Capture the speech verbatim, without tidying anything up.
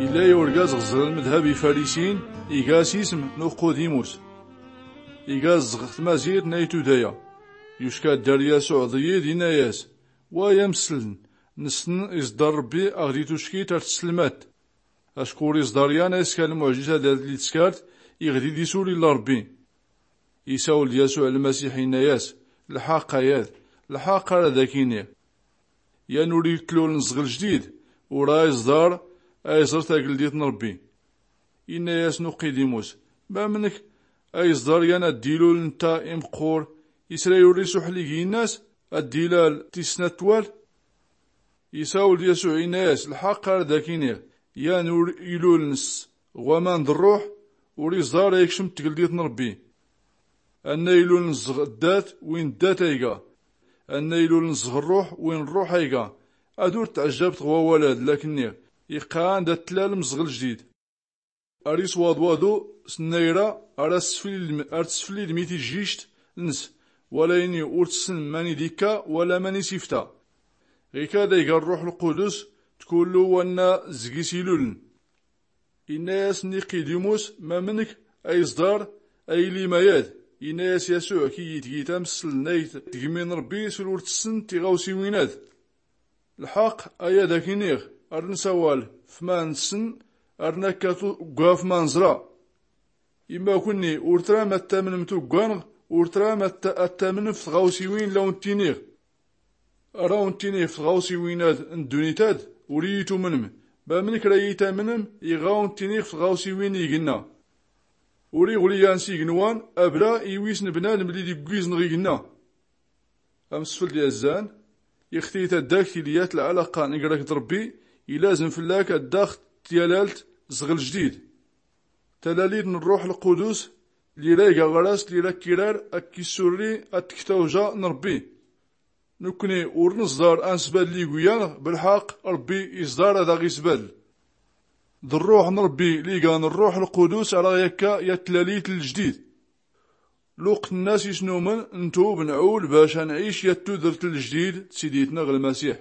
Illa i urgaz ɣ-ẓrn mdhab ifarisin, iga s-ism n-uqqudimus, iga zɣ-tmazirt n-aytudaya. Yuska-d ar-yasuɛ d-iyid, inna-yas: Wa ay amsln, nsn iẓḍar rbbi aɣ-d-ituckit ar-tslmat. Acku ur iẓḍar yan a-iskan lmuɛjizat ad-lli-tskart iɣ-d-idisul illa rbbi. Isawl-d yasuɛ lmasiḥ, inna-yas: Lḥaqq ayad, lḥaqq ara d-ak-iniɣ, yan ur-itlul nẓɣ-ljdid, ur-a-iẓḍar a-iẓr tagldit n-rbbi. Inna-yas nuqqidimus: Mamnk a-iẓḍar yan ad-d-ilul ntta imqqur, isray ur-isuḥli g-innas, ad-d-ilal tis snat twal? Isawl-d yasuɛ, inna-yas: Lḥaqq ara d-ak-iniɣ, yan ur-ilul ns ɣ-waman d-rruḥ, ur-iẓḍar a-ikcm tgldit n-rbbi. Anna ilul nẓɣ-ddat, win ddat a-iga. Anna ilul nẓɣ-rruḥ, win rruḥ a-iga. Ad-ur-tɛjjabt ɣ-wawal-ad-lla-k-nniɣ, iqqan d-ad-tlal mẓɣ-ljdid. Ar-iswaḍwadu s-nnayra, ar-tsflilm-, ar-tsflilm i-tijjict ns, wala ini ur-tsn mani d-ikka wala mani s-ifta. Ɣikad a-iga rruḥ lqudus, d-kullu wanna zg-is iluln. Inna-yas niqidimus: Mamnk a-iẓḍar a-ilim ayad? Inna-yas yasuɛ: Kiyyi tgit amsln ayt-tgmin rbbi sl-ur-tsn tiɣawsiwin-ad. Lḥaqq ayad-ak-iniɣ, ar-nsawal f-man-nsn, ar-nakkat ugga f-man-nẓra. Imma kunni ur-tram ad-tamnm tugga-nɣ, ur-tram ad-tamnm f-tɣawsiwin-lla-wn-ttiniɣ. Ar-awn-ttiniɣ f-tɣawsiwin-ad n-ddunit-ad, ur-iyi-tumnm. Mamnk ra-iyi-tamnm iɣ-awn-ttiniɣ f-tɣawsiwin-ignna? Ur-iɣli yan s-ignwan abla iwis n-bnadm lli-d-iggwizn ɣ-ignna. Amsfld yazzan, ixti taddagt illi-yat lɛalaqqa n-gr-ak d-rbbi, ilazm fll-ak ad-daɣ-tyalalt zɣ-ljdid. Talalit n-rruḥ lqudus, lli-ra-iga ɣr-as, lli-ra-k-irar a-k-issurri ad-tktawja n-rbbi. Nukkni ur-nẓḍar a-nsbadl iguyan-nɣ, blḥaqq rbbi iẓḍar ad-aɣ-isbadl. D-rruḥ n-rbbi lli-igan rruḥ lqudus ara-ɣ-yakka yat-tlalit n-ljdid. Luqt n-nas isnumn, ntub, nɛul bac a-nɛic yat-tudrt n-ljdid d-sidit-nɣ lmasiḥ.